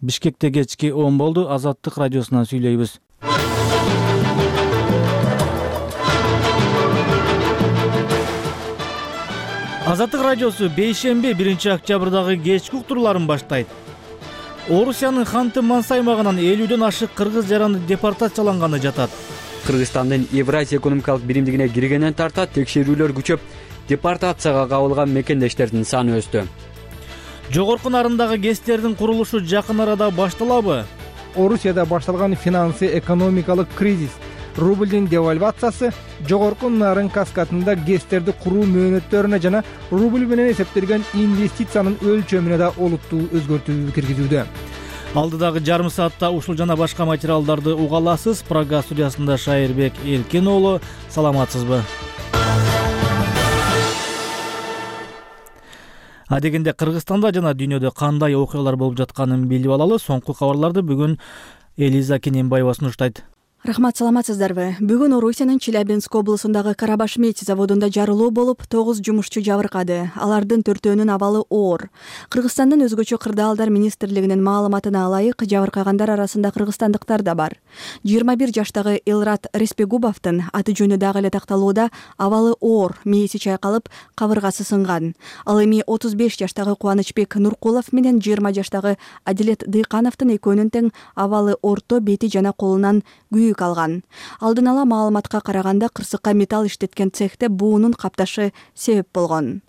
Бишкекте кечки 10 болду. Азаттык радиосунан сүйлөйбүз. Азаттык радиосу бейшемби 1-октябрдагы кечки уктурууларын баштайт. Орусиянын Ханты-Мансы аймагынан 50дөн ашык кыргыз жараны депортацияланганы жатат. Кыргызстандын Евразия экономикалык биримдигине киргенден тарта текшерүүлөр күчөп, депортацияга кабылган мекендештердин саны өстү. Жогорку нарындагы ГЭСтердин курулушу жакын арада башталабы? Орусияда башталган финансы экономикалык кризис, рубльдин девальвациясы жогорку нарын каскадында ГЭСтерди куруу мөөнөттөрүнө жана рубль менен эсептелген инвестициянын өлчөмүнө да олуттуу өзгөртүү киргизүүдө. Алдыдагы жарым саатта ушул жана башка материалдарды уга аласыз. Прага студиясында Шайырбек Эркен уулу. Саламатсызбы? Адегенде Кыргызстанда жана дүйнөдө кандай окуялар болуп жатканын билип алалы. Соңку кабарларды бүгүн Элиза Кененбаева сунуштайт. Рахмат, саламатсыздарбы? Бүгүн Орусиянын Челябинск облусундагы Карабаш медь заводунда жарылуу болуп, 9 жумушчу жабыркады. Алардын 4-өөнүн абалы оор. Кыргызстандын өзгөчө кырдаалдар министрлигинин маалыматына ылайык, жабыркагандар арасында кыргызстандыктар да бар. 21 жаштагы Элрат Респегубовдун аты жөнү дагы эле такталууда, абалы оор, мээси чайкалып, кабыргасы сынган. Ал эми 35 жаштагы Кубанычбек Нуркулов менен 20 жаштагы Адилет Дыйкановдун экөөнүн тең абалы орто, бети жана колунан күйүк алган. Алдын ала маалыматка караганда, кырсыкка металл иштеткен цехте буунун капташы себеп болгон.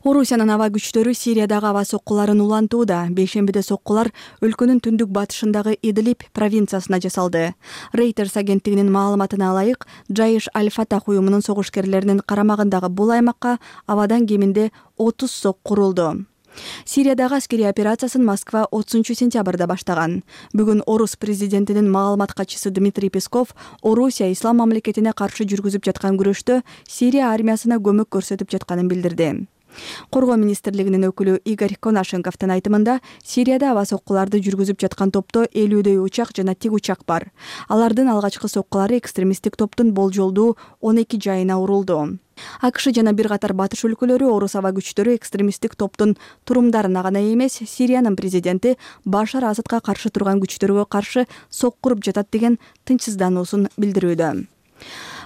Орусиянын аба күчтөрү Сириядагы аба соккуларын улантууда. Бейшембиде соккулар өлкөнүн түндүк батышындагы Идлиб провинциясына жасалды. Reuters агенттигинин маалыматына ылайык, Жайыш Аль-Фатах уюмунун согушкерлеринин карамагындагы бул аймакка абадан кеминде 30 сок курулду. Сириядагы аскерий операциясын Москва 30-сентябрда баштаган. Бүгүн Орус президентинин маалымат катчысы Дмитрий Песков Орусия ислам мамлекетине каршы жүргүзүп жаткан күрөштө Сирия армиясына көмөк көрсөтүп жатканын билдирди. Коргоо министрлигинин өкүлү Игорь Конашенковдун айтымында, Сирияда аба соккуларды жүргүзүп жаткан топто 50дөй учак жана тик учак бар. Алардын алгачкы соккулары экстремисттик топтун болжолдуу 12 жайына урулду. АКШ жана бир катар батыш өлкөлөрү орус аба күчтөрү экстремисттик топтун турумдарына гана эмес, Сириянын президенти Башар Асадка каршы турган күчтөргө каршы сок куруп жатат деген тынчсыздануусун билдирүүдө.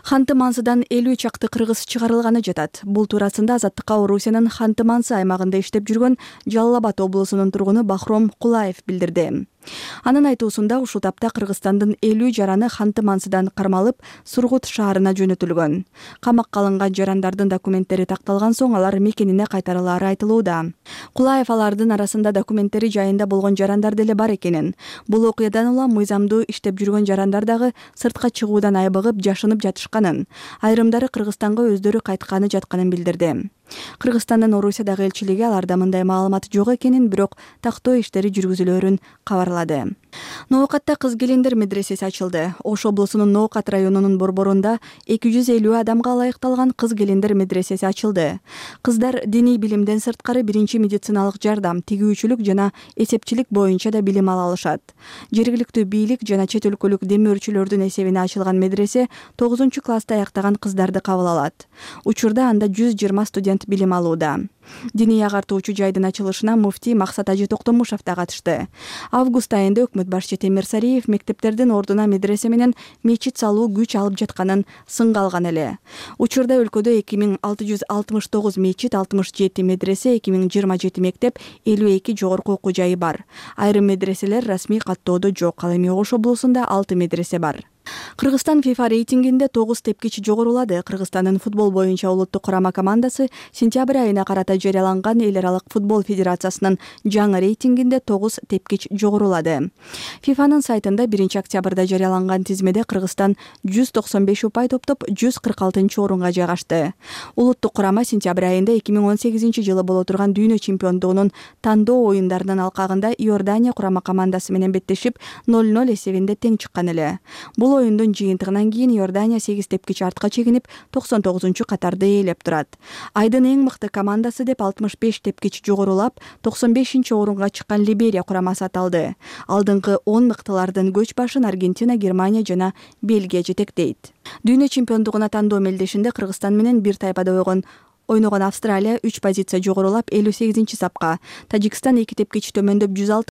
Ханты-Мансыдан 50 чакты кыргыз чыгарылганы жатат. Бул туурасында Азаттыкка Орусиянын Ханты-Мансы аймагында иштеп жүргөн Жалал Абад облусунун тургуну Бахром Кулаев билдирди. Анын айтуусунда, ушул тапта Кыргызстандын 50 жараны Ханты-Мансыдан кармалып, Сургут шаарына жөнөтүлгөн. Камакка алынган жарандардын документтери такталган соң алар мекенине кайтарылаары айтылууда. Кулаев алардын арасында документтери жайында болгон жарандар деле бар экенин. Бул окуядан улам мыйзамдуу иштеп жүргөн жарандар дагы сыртка чыгуудан айбыгып, жашынып жатышканын, айрымдары Кыргызстанга өздөрү кайтканы жатканын билдирди. Кыргызстандын Орусиядагы элчилиги аларда мындай маалымат жок экенин, бирок тактоо иштери жүргүзүлөөрүн кабарлады. Ноокатта кыз келиндер медресеси ачылды. Ош облусунун Ноокат районунун борборунда 250 адамга ылайыкталган кыз келиндер медресеси ачылды. Кыздар диний билимден сырткары биринчи медициналык жардам, тигүүчүлүк жана эсепчилик боюнча да билим ала алышат. Жергиликтүү бийлик жана чет өлкөлүк демөөрчүлөрдүн эсебине ачылган медресе 9-класста аяктаган кыздарды кабыл алат. Учурда анда 120 студент билим алууда. Диний агартуучу жайдын ачылышына муфтий Максат Ажы Токтомушев да катышты. Август айында өкмөт башчы Темир Сариев мектептердин ордуна медресе менен мечит салуу күч алып жатканын сынга алган эле. Учурда өлкөдө 2669 мечит, 67 медресе, 2027 мектеп, 52 жогорку окуу жайы бар. Айрым медреселер расмий каттоодо жок. Ал эми Ош облусунда 6 медресе бар. Кыргызстан FIFA рейтингинде 9 тепкич жогорулады. Кыргызстандын футбол боюнча улуттук курама командасы сентябрь айына карата жарыяланган Эл аралык футбол федерациясынын жаңы рейтингинде 9 тепкич жогорулады. FIFAнын сайтында 1-октябрда жарыяланган тизмеде Кыргызстан 195 упай топтоп 146-орунга жайгашты. Улуттук курама сентябрь айында 2018-жылы боло турган дүйнө чемпиондугунун тандоо оюндарынын алкагында Иордания курама командасы менен беттешип 0-0 эсебинде тең чыккан эле. Бул оюндун жыйынтыгынан кийин Иордания 8 тепкич артка чегинип 99-катарды ээлеп турат. Айдын эң мыкты командасы деп 65 тепкич жогорулап 95-орунга чыккан Либерия курамасы аталды. Алдыңкы 10 мыктылардын көч башын Аргентина, Германия жана Бельгия жетектейт. Дүйнө чемпиондугуна тандоо мелдешинде Кыргызстан менен бир тайпада ойногон Австралия 3 позиция жогорулап 58-сапка, Тажикстан 2 тепкич төмөндөп 106